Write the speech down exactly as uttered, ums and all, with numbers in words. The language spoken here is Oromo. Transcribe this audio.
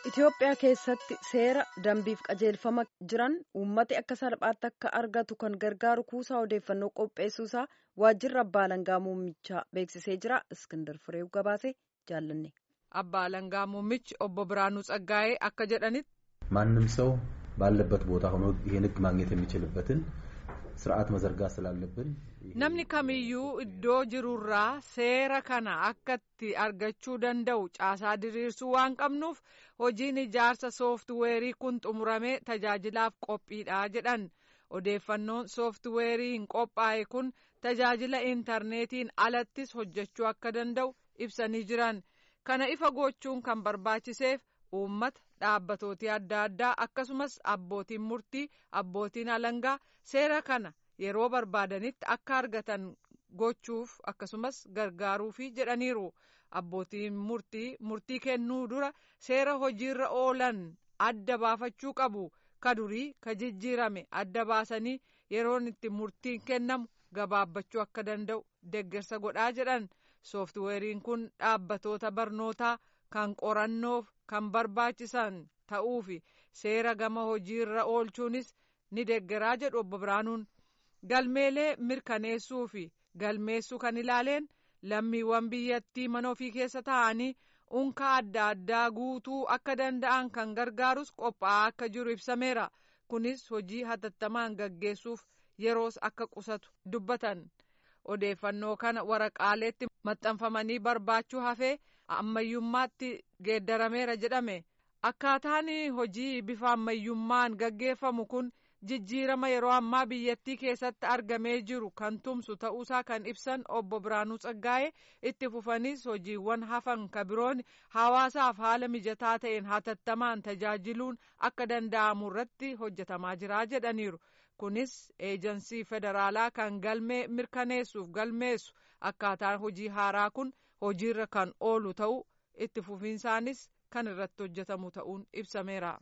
Itoophiyaa keessatti seera dambiif qajeelfama jiran uummati akka salphaatti akka argatu kan gargaaru kuusaa odeeffannoo qopheessuusaa waajjirri abbaa alangaa muummichaa beeksisee jira. Iskindar Fireew gabaase jaallanne. Abbaa alangaa muummichi obbo Biraanuu Tsaggaayee akka jedhanitti ማንም ሰው ባለበት ቦታ ሆኖ ይሄን ሕግ ማግኘት የሚችልበትን ስርዓት መዘርጋት ስላለብን namni kamiyyuu iddoo jirurraa seera kana akkatti argachuu danda'u caasaa diriirsuu waan qabnuuf hojiin ijaarsa sooftiweerii kun xumuramee tajaajilaaf qophiidha jedhan. Odeeffannoon sooftiweeriin qophaa'e kun tajaajila intarneetiin alattis hojjechuu akka danda'u ibsanii jiran. Kana ifa gochuun kan barbaachiseef uummata, dhaabbatootii adda addaa akkasumas abbootiin murtii, abbootiin alangaa seera kana yeroo barbaadanitti akka argatan gochuuf akkasumas gargaaruufi jedhaniiru. Abbootiin murtii murtii kennuu dura seera hojiirra oolan adda baafachuu qabu. Ka durii ka jijjiirame adda baasanii yeroon itti murtiin kennamu gabaabbachuu akka danda'u deeggarsa godhaa jedhan. Sooftiweeriin kun dhaabbatoota barnootaa kan qorannoof kan barbaachisan ta'uufi seera gama hojiirra oolchuunis ni deeggaraa jedhu obbo Biraanuun. Galmeelee mirkaneessuu fi galmeessuu kan ilaaleen lammiiwwan biyyattii mana ofii keessa taa'anii unka adda addaa guutuu akka danda'an kan gargaarus qophaa'aa akka jiru ibsameera. Kunis hojii hatattamaan gaggeessuuf yeroos akka qusatu dubbatan. Odeeffannoo kana waraqaaleetti maxxanfamanii barbaachuu hafee ammayyummaatti geeddarameera jedhame. Akkaataan hojii bifa ammayyummaan gaggeeffamu kun jijjiirama yeroo ammaa biyyattii keessatti argamee jiru kan tumsu ta'uusaa kan ibsan obbo Biraanuu Tsaggaayee itti fufanis hojiiwwan hafan ka biroon hawaasaaf haala mijataa ta'een hatattamaan tajaajiluun akka danda'amu irratti hojjetamaa jira jedhaniiru. Kunis eejansii federaalaa kan galmee mirkaneessuuf galmeessu akkaataan hojii haaraa kun hojiirra kan oolu ta'u itti fufiinsaanis kan irratti hojjetamu ta'uun ibsameera.